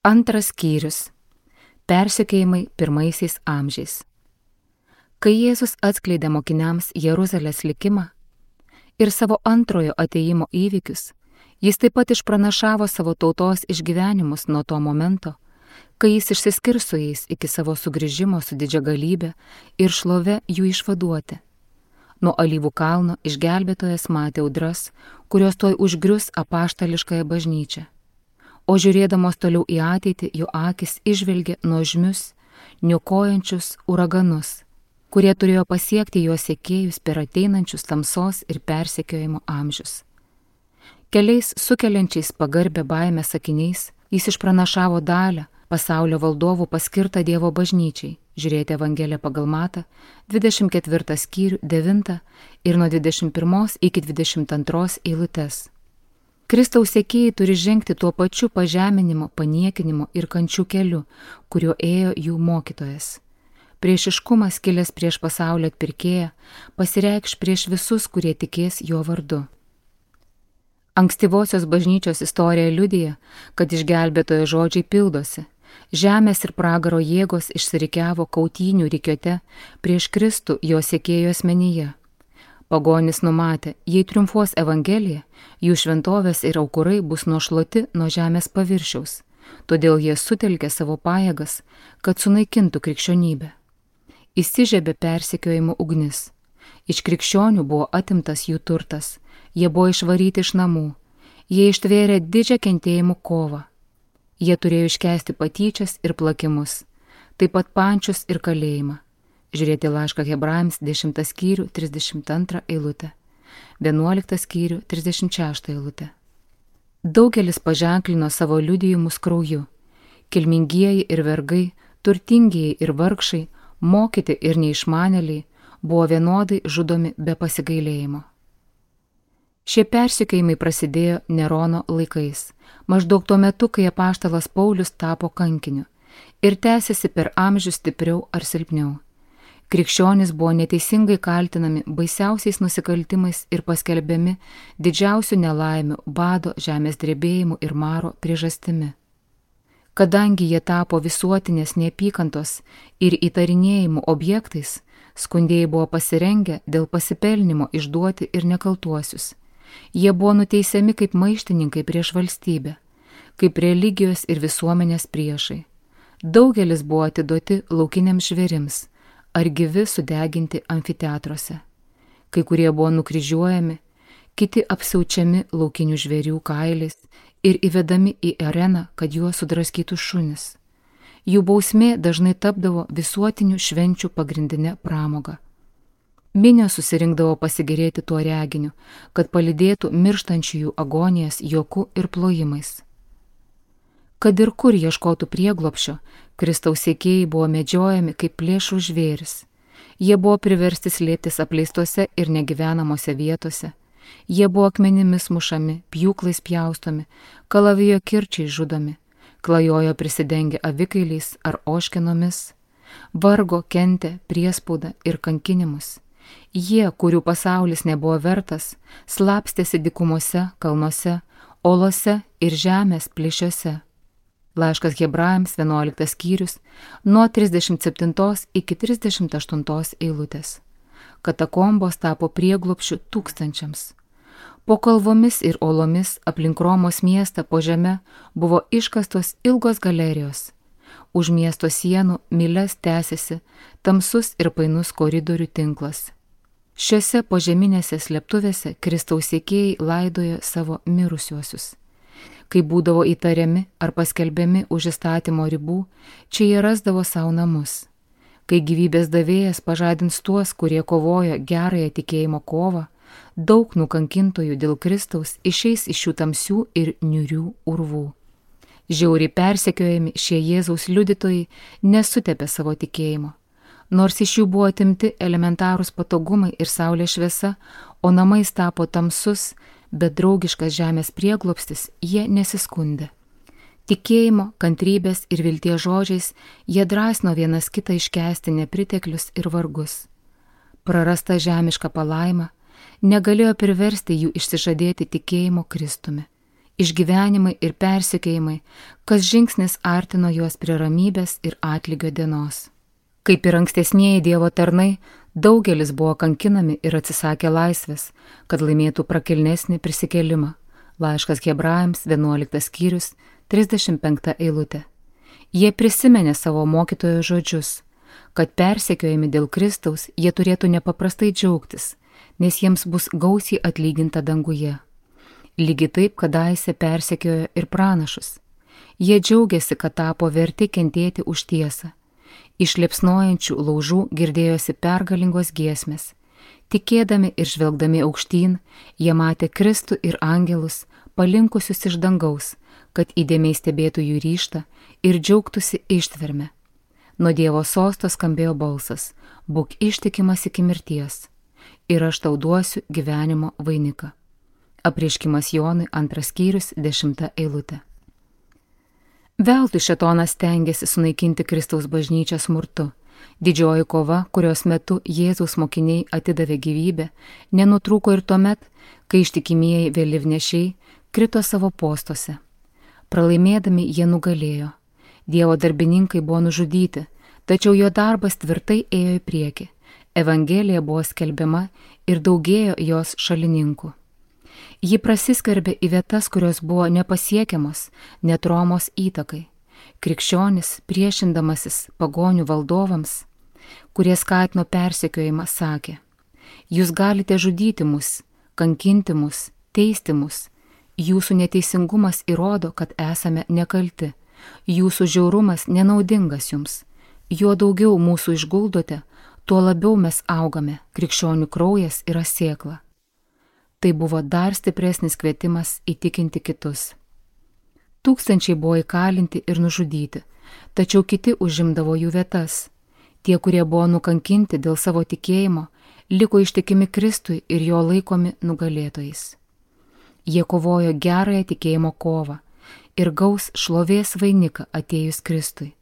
Antras skyrius. Persekiojimai pirmaisiais amžiais. Kai Jėzus atskleidė mokiniams Jeruzalės likimą ir savo antrojo atėjimo įvykius, jis taip pat išpranašavo savo tautos išgyvenimus nuo to momento, kai jis išsiskirs su jais iki savo sugrįžimo su didžia galybė ir šlove jų išvaduoti. Nuo Alyvų kalno išgelbėtojas matė audras, kurios tuoj užgrius apaštališkąją bažnyčią. O žiūrėdamos toliau į ateitį, jo akis įžvelgė nuožmius, niokojančius uraganus, kurie turėjo pasiekti jo sekėjus per ateinančius tamsos ir persekiojimo amžius. Keliais sukeliančiais pagarbę baimę sakiniais jis išpranašavo dalią pasaulio valdovų paskirtą Dievo bažnyčiai. Žiūrėti Evangeliją pagal Matą, 24 skyrių 9 ir nuo 21 iki 22 eilutes. Kristaus sekėjai turi žengti tuo pačiu pažeminimo, paniekinimo ir kančių keliu, kuriuo ėjo jų mokytojas. Priešiškumas kilęs prieš pasaulio atpirkėją pasireikš prieš visus, kurie tikės jo vardu. Ankstyvosios bažnyčios istorija liudija, kad išgelbėtojo žodžiai pildosi. Žemės ir pragaro jėgos išsirikiavo kautynių rikiuote prieš Kristų jo sekėjų asmenyje. Pagonis numatė, jei triumfuos Evangelija, jų šventovės ir aukurai bus nušluoti nuo žemės paviršiaus, todėl jie sutelkė savo pajėgas, kad sunaikintų krikščionybę. Įsižiebė persekiojimo ugnis. Iš krikščionių buvo atimtas jų turtas, jie buvo išvaryti iš namų, jie ištvėrė didžią kentėjimų kovą. Jie turėjo iškęsti patyčias ir plakimus, taip pat pančius ir kalėjimą. Žiūrėti laišką Hebrajams 10 skyrių 32 eilutę, 11 skyrių 36 eilutę. Daugelis paženklino savo liudijimus krauju. Kilmingieji ir vergai, turtingieji ir vargšai, mokyti ir neišmanėliai buvo vienodai žudomi be pasigailėjimo. Šie persekiojimai prasidėjo Nerono laikais, maždaug tuo metu, kai apaštalas Paulius tapo kankiniu, ir tęsiasi per amžius stipriau ar silpniau. Krikščionys buvo neteisingai kaltinami baisiausiais nusikaltimais ir paskelbiami didžiausių nelaimių, bado, žemės drebėjimų ir maro priežastimi. Kadangi jie tapo visuotinės neapykantos ir įtarinėjimų objektais, skundėjai buvo pasirengę dėl pasipelnimo išduoti ir nekaltuosius. Jie buvo nuteisiami kaip maištininkai prieš valstybę, kaip religijos ir visuomenės priešai. Daugelis buvo atiduoti laukiniams žvėrims ar gyvi sudeginti amfiteatruose. Kai kurie buvo nukryžiuojami, kiti apsiaučiami laukinių žvėrių kailiais ir įvedami į areną, kad juos sudraskytų šunis. Jų bausmė dažnai tapdavo visuotinių švenčių pagrindinė pramoga. Minios susirinkdavo pasigėrėti tuo reginiu, kad palydėtų mirštančiųjų agonijas juoku ir plojimais. Kad ir kur ieškotų prieglobščio, Kristaus sekėjai buvo medžiojami kaip plėšrų žvėris. Jie buvo priversti slėptis apleistose ir negyvenamose vietose. Jie buvo akmenimis mušami, pjūklais pjaustomi, kalavijo kirčiai žudomi, klajojo prisidengę avikailiais ar oškinomis, vargo, kentė, priespaudą ir kankinimus. Jie, kurių pasaulis nebuvo vertas, slapstėsi dykumose, kalnuose, olose ir žemės plyšiuose. Laiškas Hebrajams 11 skyrius nuo 37 iki 38 eilutės. Katakombos tapo prieglobsčiu tūkstančiams. Po kalvomis ir olomis aplink Romos miestą po žeme buvo iškastos ilgos galerijos. Už miesto sienų mylias tęsiasi tamsus ir painus koridorių tinklas. Šiose požeminėse slėptuvėse Kristaus sekėjai laidojo savo mirusiuosius. Kai būdavo įtariami ar paskelbiami už įstatymo ribų, čia jie rasdavo savo namus. Kai gyvybės davėjas pažadins tuos, kurie kovojo gerąją tikėjimo kovą, daug nukankintojų dėl Kristaus išeis iš šių tamsių ir niūrių urvų. Žiauriai persekiojami šie Jėzaus liudytojai nesutepė savo tikėjimo. Nors iš jų buvo atimti elementarūs patogumai ir saulės šviesa, o namais tapo tamsus, bet draugiškas žemės prieglobstis, jie nesiskundė. Tikėjimo, kantrybės ir vilties žodžiais jie drąsino vienas kitą iškęsti nepriteklius ir vargus. Prarasta žemiška palaima negalėjo priversti jų išsižadėti tikėjimo Kristumi. išgyvenimai ir persekiojimai, kas žingsnis artino juos prie ramybės ir atlygio dienos. Kaip ir ankstesnieji Dievo tarnai, daugelis buvo kankinami ir atsisakė laisvės, kad laimėtų prakilnesnį prisikėlimą. Laiškas Hebrajams 11 skyrius 35 eilutė. Jie prisiminė savo mokytojo žodžius, kad persekiojami dėl Kristaus jie turėtų nepaprastai džiaugtis, nes jiems bus gausiai atlyginta danguje. Lygiai taip kadaise persekiojo ir pranašus. Jie džiaugiasi, kad tapo verti kentėti už tiesą. Iš liepsnojančių laužų girdėjosi pergalingos giesmės. Tikėdami ir žvelgdami aukštyn, jie matė Kristų ir angelus, palinkusius iš dangaus, kad įdėmiai stebėtų jų ryžtą ir džiaugtųsi ištverme. Nuo Dievo sosto skambėjo balsas: būk ištikimas iki mirties, ir aš tau duosiu gyvenimo vainiką. Apreiškimas Jonui 2 skyrius 10 eilutė. Veltui šėtonas stengiasi sunaikinti Kristaus bažnyčią smurtu. Didžioji kova, kurios metu Jėzaus mokiniai atidavė gyvybę, nenutrūko ir tuomet, kai ištikimieji vėliavnešiai krito savo postuose. Pralaimėdami jie nugalėjo. Dievo darbininkai buvo nužudyti, tačiau jo darbas tvirtai ėjo į priekį. Evangelija buvo skelbiama ir daugėjo jos šalininkų. Ji prasiskverbė į vietas, kurios buvo nepasiekiamos, net Romos įtakai. Krikščionis, priešindamasis pagonių valdovams, kurie skatino persekiojimą, sakė: jūs galite žudyti mus, kankinti mus, teisti mus. Jūsų neteisingumas įrodo, kad esame nekalti. Jūsų žiaurumas nenaudingas jums. Juo daugiau mūsų išguldote, tuo labiau mes augame. Krikščionių kraujas yra sėkla. Tai buvo dar stipresnis kvietimas įtikinti kitus. Tūkstančiai buvo įkalinti ir nužudyti, tačiau kiti užimdavo jų vietas. Tie, kurie buvo nukankinti dėl savo tikėjimo, liko ištikimi Kristui ir jo laikomi nugalėtojais. Jie kovojo gerąją tikėjimo kovą ir gaus šlovės vainiką atėjus Kristui.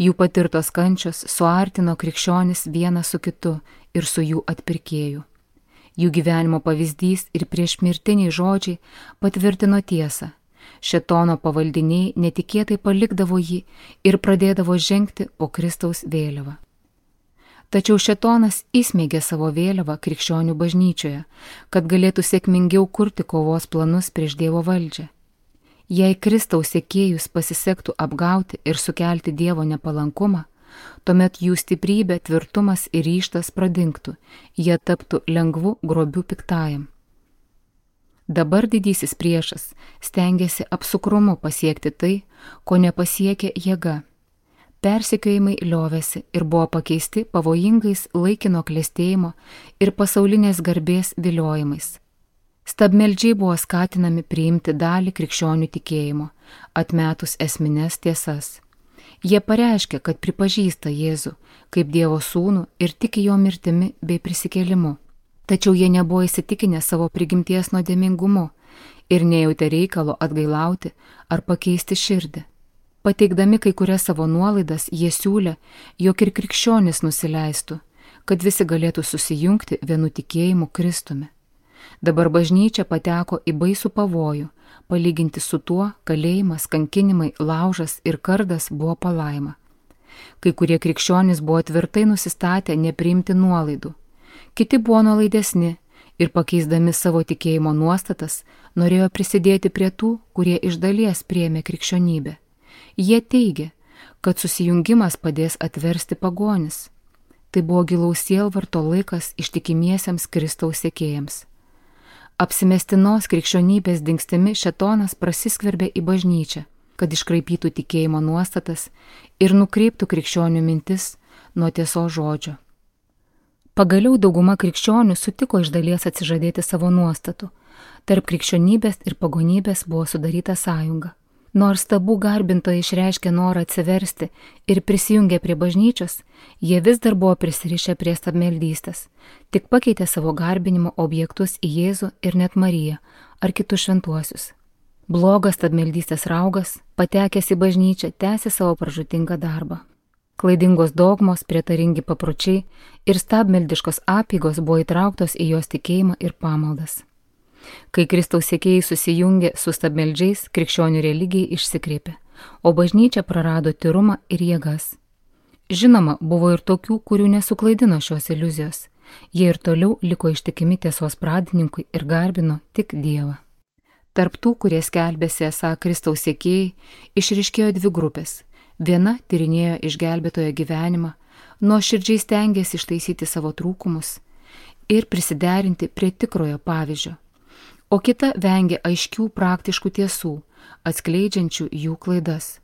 Jų patirtos kančios suartino krikščionis vieną su kitu ir su jų atpirkėju. Jų gyvenimo pavyzdys ir priešmirtiniai žodžiai patvirtino tiesą. Šėtono pavaldiniai netikėtai palikdavo jį ir pradėdavo žengti po Kristaus vėliavą. Tačiau šėtonas įsmeigė savo vėliavą krikščionių bažnyčioje, kad galėtų sėkmingiau kurti kovos planus prieš Dievo valdžią. Jei Kristaus sekėjus pasisektų apgauti ir sukelti Dievo nepalankumą, tuomet jų stiprybė, tvirtumas ir ryžtas pradingtų, jie taptų lengvu grobiu piktajam. Dabar didysis priešas stengiasi apsukrumu pasiekti tai, ko nepasiekė jėga. Persekiojimai liovėsi ir buvo pakeisti pavojingais laikino klestėjimo ir pasaulinės garbės viliojimais. Stabmeldžiai buvo skatinami priimti dalį krikščionių tikėjimo, atmetus esmines tiesas. Jie pareiškė, kad pripažįsta Jėzų kaip Dievo sūnų ir tiki jo mirtimi bei prisikėlimu. Tačiau jie nebuvo įsitikinę savo prigimties nuodėmingumu ir nejautė reikalo atgailauti ar pakeisti širdį. Pateikdami kai kurias savo nuolaidas, jie siūlė, jog ir krikščionis nusileistų, kad visi galėtų susijungti vienu tikėjimu Kristumi. Dabar bažnyčia pateko į baisų pavojų, palyginti su tuo kalėjimas, kankinimai, laužas ir kardas buvo palaima. Kai kurie krikščionys buvo tvirtai nusistatę nepriimti nuolaidų. Kiti buvo nuolaidesni ir pakeisdami savo tikėjimo nuostatas norėjo prisidėti prie tų, kurie iš dalies priėmė krikščionybę. Jie teigė, kad susijungimas padės atversti pagonis. Tai buvo gilaus sielvarto laikas ištikimiesiems Kristaus sekėjams. Apsimestinos krikščionybės dingstimi šėtonas prasiskverbė į bažnyčią, kad iškraipytų tikėjimo nuostatas ir nukreiptų krikščionių mintis nuo tiesos žodžio. Pagaliau dauguma krikščionių sutiko iš dalies atsižadėti savo nuostatų. Tarp krikščionybės ir pagonybės buvo sudaryta sąjunga. Nors tabų garbintojai išreiškė norą atsiversti ir prisijungė prie bažnyčios, jie vis dar buvo prisirišę prie stabmeldystės, tik pakeitė savo garbinimo objektus į Jėzų ir net Mariją ar kitus šventuosius. Blogas stabmeldystės raugas, patekęs į bažnyčią, tęsė savo pražūtingą darbą. Klaidingos dogmos, prietaringi papročiai ir stabmeldiškos apeigos buvo įtrauktos į jos tikėjimą ir pamaldas. Kai Kristaus sekėjai susijungė su stabmeldžiais, krikščionių religija išsikreipė, o bažnyčia prarado tyrumą ir jėgas. Žinoma, buvo ir tokių, kurių nesuklaidino šios iliuzijos. Jie ir toliau liko ištikimi tiesos pradininkui ir garbino tik Dievą. Tarp tų, kurie skelbėsi esą Kristaus sekėjai, išryškėjo dvi grupės. Viena tyrinėjo išgelbėtojo gyvenimą, nuoširdžiai stengėsi ištaisyti savo trūkumus ir prisiderinti prie tikrojo pavyzdžio, o kita vengė aiškių praktiškų tiesų, atskleidžiančių jų klaidas.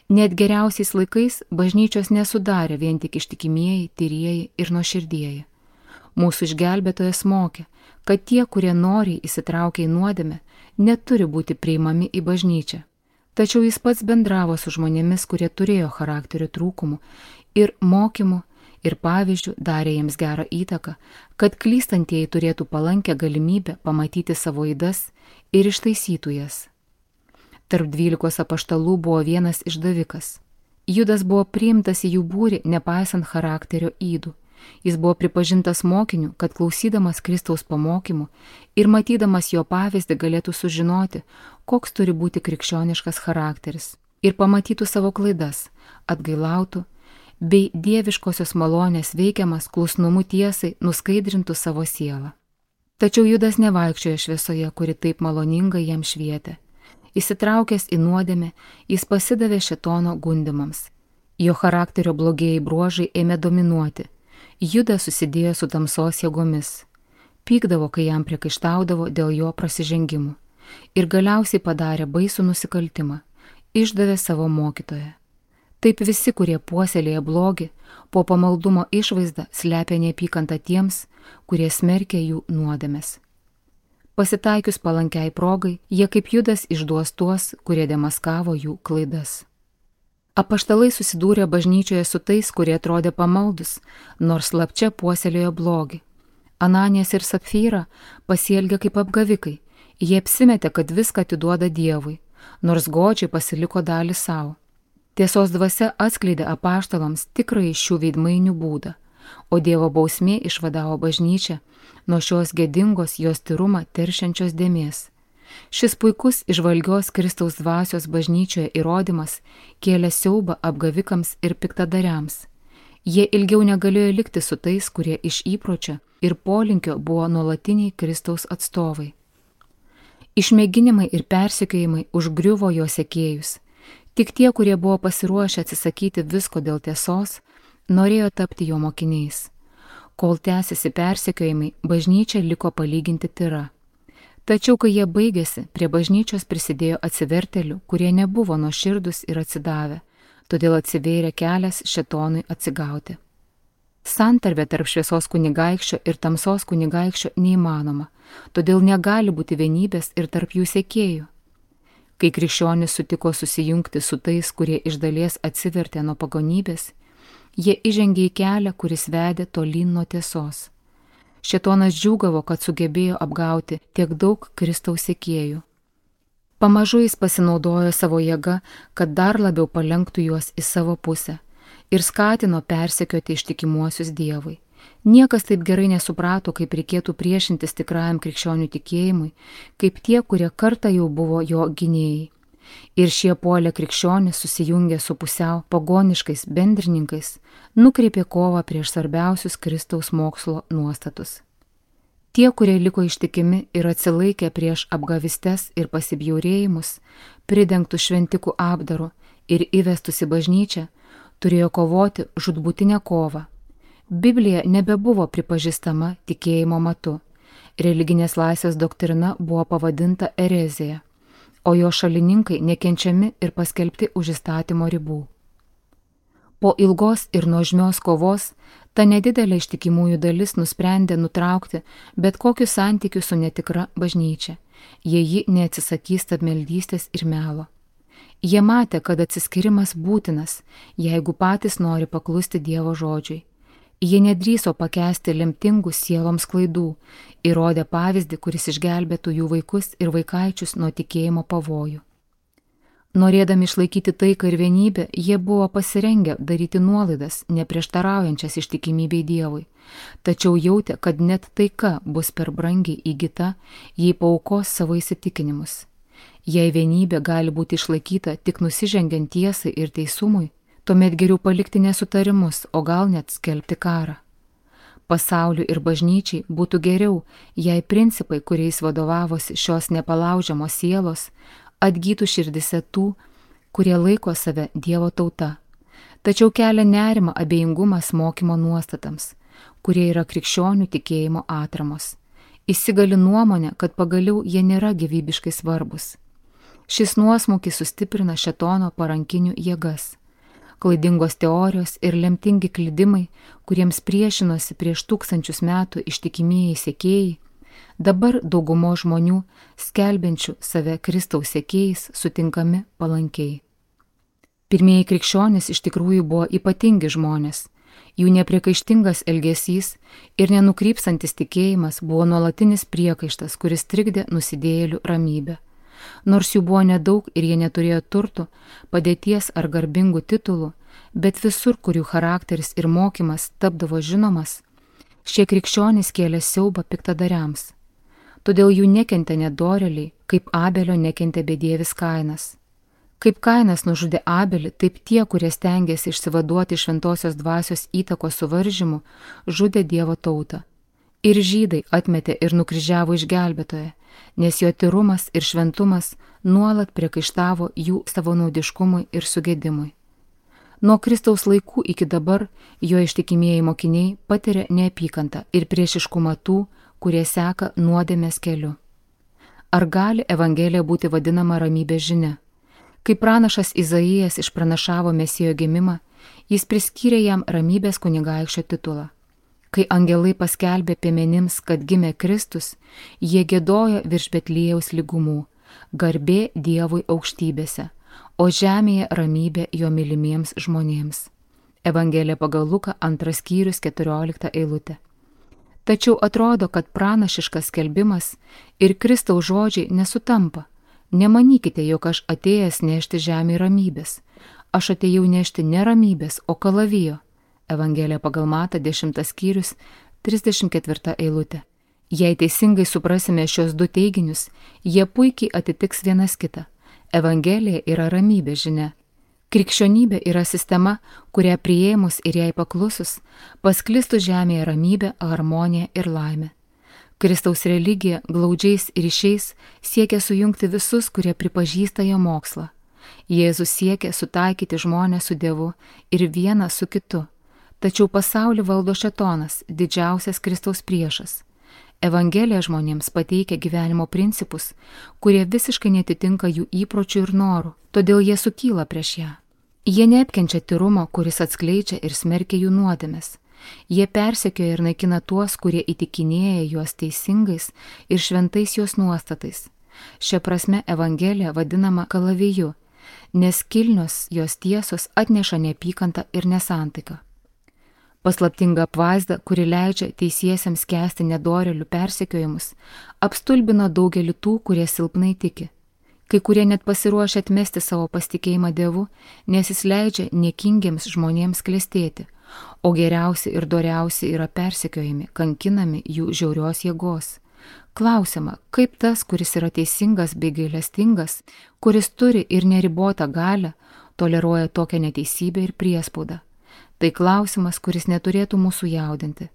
Net geriausiais laikais bažnyčios nesudarė vien tik ištikimieji, tyrieji ir nuoširdieji. Mūsų išgelbėtojas mokė, kad tie, kurie noriai įsitraukia į nuodėmę, neturi būti priimami į bažnyčią. Tačiau jis pats bendravo su žmonėmis, kurie turėjo charakterio trūkumų ir mokymų ir pavyzdžių darė jiems gerą įtaką, kad klystantieji turėtų palankę galimybę pamatyti savo ydas ir ištaisytų jas. Tarp 12 apaštalų buvo vienas išdavikas. Judas buvo priimtas į jų būrį, nepaisant charakterio ydų. Jis buvo pripažintas mokiniu, kad klausydamas Kristaus pamokymų ir matydamas jo pavyzdį galėtų sužinoti, koks turi būti krikščioniškas charakteris, ir pamatytų savo klaidas, atgailautų, bei dieviškosios malonės veikiamas klusnumu tiesai nuskaidrintų savo sielą. Tačiau Judas nevaikščiojo šviesoje, kuri taip maloningai jam švietė. Įsitraukęs į nuodėmę, jis pasidavė šėtono gundymams. Jo charakterio blogieji bruožai ėmė dominuoti. Judas susidėjo su tamsos jėgomis. Pykdavo, kai jam priekaištaudavo dėl jo prasižengimų. Ir galiausiai padarė baisų nusikaltimą. Išdavė savo mokytoją. Taip visi, kurie puoselėja blogį, po pamaldumo išvaizdą slepia neapykantą tiems, kurie smerkia jų nuodėmes. Pasitaikius palankiai progai, jie kaip Judas išduos tuos, kurie demaskavo jų klaidas. Apaštalai susidūrė bažnyčioje su tais, kurie atrodė pamaldus, nors slapčia puoselėjo blogį. Ananijas ir Sapfyra pasielgė kaip apgavikai, jie apsimetė, kad viską atiduoda Dievui, nors godžiai pasiliko dalį savo. Tiesos dvasia atskleidė apaštalams tikrąjį šių veidmainių būdą, o Dievo bausmė išvadavo bažnyčią nuo šios gėdingos jos tyrumą teršiančios dėmės. Šis puikus įžvalgios Kristaus dvasios bažnyčioje įrodymas kėlė siaubą apgavikams ir piktadariams. Jie ilgiau negalėjo likti su tais, kurie iš įpročio ir polinkio buvo nuolatiniai Kristaus atstovai. Išmėginimai ir persekiojimai užgriuvo jo sekėjus. Tik tie, kurie buvo pasiruošę atsisakyti visko dėl tiesos, norėjo tapti jo mokiniais. Kol tęsiasi persekiojimai, bažnyčia liko palyginti tyra. Tačiau, kai jie baigėsi, prie bažnyčios prisidėjo atsivertėlių, kurie nebuvo nuoširdūs ir atsidavę, todėl atsivėrė kelias šėtonui atsigauti. Santarvė tarp šviesos kunigaikščio ir tamsos kunigaikščio neįmanoma, todėl negali būti vienybės ir tarp jų sekėjų. Kai krikščionys sutiko susijungti su tais, kurie iš dalies atsivertė nuo pagonybės, jie įžengė į kelią, kuris vedė tolyn nuo tiesos. Šėtonas džiūgavo, kad sugebėjo apgauti tiek daug Kristaus sekėjų. Pamažu jis pasinaudojo savo jėga, kad dar labiau palenktų juos į savo pusę ir skatino persekioti ištikimuosius Dievui. Niekas taip gerai nesuprato, kaip reikėtų priešintis tikrajam krikščionių tikėjimui, kaip tie, kurie kartą jau buvo jo gynėjai. Ir šie puolę krikščionys susijungė su pusiau pagoniškais bendrininkais, nukreipė kovą prieš svarbiausius Kristaus mokslo nuostatus. Tie, kurie liko ištikimi ir atsilaikė prieš apgavistes ir pasibjaurėjimus, pridengtų šventikų apdaru ir įvestus į bažnyčią, turėjo kovoti žūtbūtinę kovą. Biblija nebebuvo pripažįstama tikėjimo matu. Religinės laisvės doktrina buvo pavadinta erezija, o jo šalininkai nekenčiami ir paskelbti už įstatymo ribų. Po ilgos ir nuožmios kovos, ta nedidelė ištikimųjų dalis nusprendė nutraukti bet kokius santykius su netikra bažnyčia, jei ji neatsisakys stabmeldystės ir melo. Jie matė, kad atsiskirimas būtinas, jeigu patys nori paklusti Dievo žodžiui. Jie nedrįso pakęsti lemtingų sieloms klaidų ir rodė pavyzdį, kuris išgelbėtų jų vaikus ir vaikaičius nuo tikėjimo pavojų. Norėdami išlaikyti taiką ir vienybę, jie buvo pasirengę daryti nuolaidas, neprieštaraujančias ištikimybei Dievui, tačiau jautė, kad net taika bus per brangiai įgyta, jei paaukos savo įsitikinimus. Jei vienybė gali būti išlaikyta tik nusižengiant tiesai ir teisumui, tuomet geriau palikti nesutarimus, o gal net skelbti karą. Pasauliui ir bažnyčiai būtų geriau, jei principai, kuriais vadovavosi šios nepalaužiamos sielos, atgytų širdise tų, kurie laiko save Dievo tauta. Tačiau kelia nerimą abejingumas mokymo nuostatams, kurie yra krikščionių tikėjimo atramos. Įsigali nuomonė, kad pagaliau jie nėra gyvybiškai svarbus. Šis nuosmukis sustiprina šėtono parankinių jėgas. Klaidingos teorijos ir lemtingi klydimai, kuriems priešinosi prieš 1000 metų ištikimieji sekėjai, dabar daugumo žmonių, skelbiančių save Kristaus sekėjais, sutinkami palankiai. Pirmieji krikščionys iš tikrųjų buvo ypatingi žmonės. Jų nepriekaištingas elgesys ir nenukrypstantis tikėjimas buvo nuolatinis priekaištas, kuris trikdė nusidėjėlių ramybę. Nors jų buvo nedaug ir jie neturėjo turtų, padėties ar garbingų titulų, bet visur, kur jų charakteris ir mokymas tapdavo žinomas, šie krikščionys kėlė siaubą piktadariams. Todėl jų nekentė nedorėliai, kaip Abelio nekentė bedievis Kainas. Kaip Kainas nužudė Abelį, taip tie, kurie stengėsi išsivaduoti šventosios dvasios įtakos suvaržymų, žudė Dievo tautą. Ir žydai atmetė ir nukryžiavo išgelbėtoją, nes jo tyrumas ir šventumas nuolat priekaištavo jų savanaudiškumui ir sugėdimui. Nuo Kristaus laikų iki dabar jo ištikimieji mokiniai patiria neapykantą ir priešiškumą tų, kurie seka nuodėmės keliu. Ar gali Evangelija būti vadinama ramybės žinia? Kai pranašas Izaijas išpranašavo Mesijo gimimą, jis priskyrė jam ramybės kunigaikščio titulą. Kai angelai paskelbė piemenims, kad gimė Kristus, jie giedojo virš Betliejaus lygumų, garbė Dievui aukštybėse, o žemėje ramybė jo mylimiems žmonėms. Evangelija pagal Luką 2 skyrius 14 eilutė. Tačiau atrodo, kad pranašiškas skelbimas ir Kristaus žodžiai nesutampa. Nemanykite, jog aš atėjęs nešti žemėje ramybės. Aš atėjau nešti ne ramybės, o kalavijo. Evangelija pagal Matą 10 skyrius 34 eilutė. Jei teisingai suprasime šios du teiginius, jie puikiai atitiks vienas kitą. Evangelija yra ramybės žinia. Krikščionybė yra sistema, kurią priėmus ir jai paklusus, pasklistų žemėje ramybė, harmonija ir laimė. Kristaus religija glaudžiais ryšiais siekia sujungti visus, kurie pripažįsta jo mokslą. Jėzus siekia sutaikyti žmonės su Dievu ir vieną su kitu. Tačiau pasaulį valdo šėtonas, didžiausias Kristaus priešas. Evangelija žmonėms pateikia gyvenimo principus, kurie visiškai netitinka jų įpročių ir norų, todėl jie sukyla prieš ją. Jie neapkenčia tyrumo, kuris atskleidžia ir smerkia jų nuodėmes. Jie persekioja ir naikina tuos, kurie įtikinėja juos teisingais ir šventais jos nuostatais. Šia prasme Evangelija vadinama kalaviju, nes kilnios jos tiesos atneša neapykantą ir nesantaiką. Paslaptinga apvaizda, kuri leidžia teisiesiems kęsti nedorėlių persekiojimus, apstulbino daugelį tų, kurie silpnai tiki. Kai kurie net pasiruošia atmesti savo pasitikėjimą Dievu, nes jis leidžia niekingiems žmonėms klestėti, o geriausi ir doriausi yra persekiojami, kankinami jų žiaurios jėgos. Klausiama, kaip tas, kuris yra teisingas bei gailestingas, kuris turi ir neribotą galią, toleruoja tokią neteisybę ir priespaudą. Tai klausimas, kuris neturėtų mūsų jaudinti.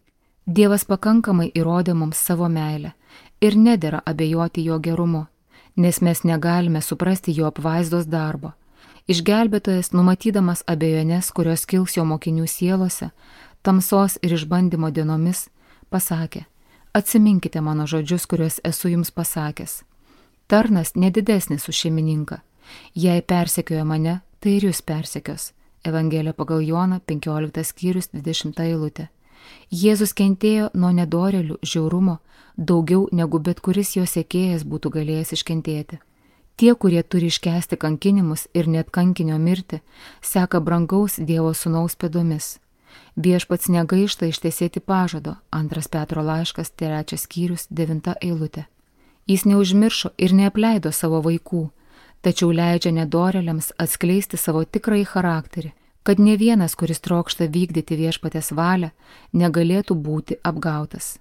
Dievas pakankamai įrodė mums savo meilę ir nedera abejoti jo gerumu, nes mes negalime suprasti jo apvaizdos darbo. Išgelbėtojas, numatydamas abejonės, kurios kils jo mokinių sielose, tamsos ir išbandymo dienomis, pasakė: Atsiminkite mano žodžius, kuriuos esu jums pasakęs. Tarnas nedidesnis už šeimininką. Jei persekioja mane, tai ir jūs persekios. Evangelija pagal Joną 15 skyrius 20 eilutė. Jėzus kentėjo nuo nedorėlių žiaurumo daugiau negu bet kuris jo sekėjas būtų galėjęs iškentėti. Tie, kurie turi iškęsti kankinimus ir net kankinio mirtį, seka brangaus Dievo sūnaus pėdomis. Viešpats negaišta ištesėti pažado, 2 Petro laiškas 3 skyrius 9 eilutė. Jis neužmiršo ir neapleido savo vaikų, tačiau leidžia nedorėliams atskleisti savo tikrąjį charakterį, kad ne vienas, kuris trokšta vykdyti viešpatės valią, negalėtų būti apgautas.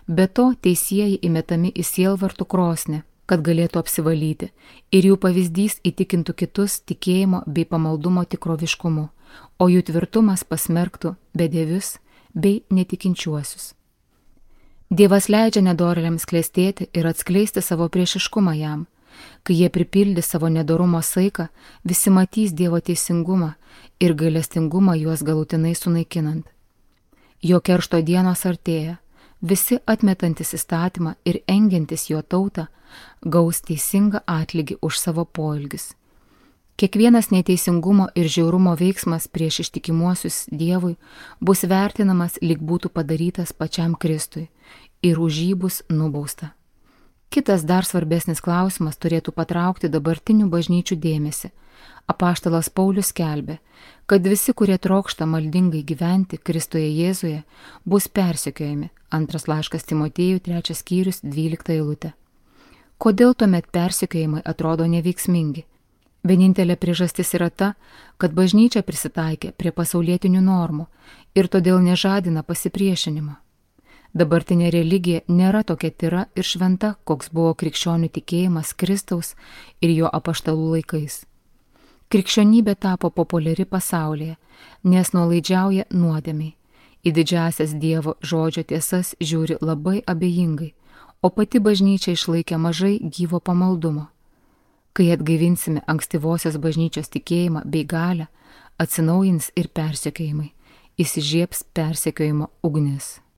Be to, teisieji įmetami į sielvartų krosnį, kad galėtų apsivalyti, ir jų pavyzdys įtikintų kitus tikėjimo bei pamaldumo tikroviškumu, o jų tvirtumas pasmerktų bedievius bei netikinčiuosius. Dievas leidžia nedorėliams klestėti ir atskleisti savo priešiškumą jam. Kai jie pripildys savo nedorumo saiką, visi matys Dievo teisingumą ir gailestingumą juos galutinai sunaikinant. Jo keršto dienos artėja, visi atmetantis įstatymą ir engiantis jo tautą gaus teisingą atlygį už savo poelgius. Kiekvienas neteisingumo ir žiaurumo veiksmas prieš ištikimuosius Dievui bus vertinamas, lyg būtų padarytas pačiam Kristui, ir už jį bus nubausta. Kitas dar svarbesnis klausimas turėtų patraukti dabartinių bažnyčių dėmesį. Apaštalas Paulius skelbė, kad visi, kurie trokšta maldingai gyventi Kristuje Jėzuje, bus persekiojami. Antras laiškas Timotiejui, 3 skyrius, 12 eilutė. Kodėl tuomet persekiojimai atrodo neveiksmingi? Vienintelė priežastis yra ta, kad bažnyčia prisitaikė prie pasaulietinių normų ir todėl nežadina pasipriešinimo. Dabartinė religija nėra tokia tyra ir šventa, koks buvo krikščionių tikėjimas Kristaus ir jo apaštalų laikais. Krikščionybė tapo populiari pasaulyje, nes nuolaidžiauja nuodėmiai. Į didžiasias Dievo žodžio tiesas žiūri labai abejingai, o pati bažnyčia išlaikė mažai gyvo pamaldumo. Kai atgaivinsime ankstyvosios bažnyčios tikėjimą bei galią, atsinaujins ir persekiojimai, įsižiebs persekiojimo ugnis.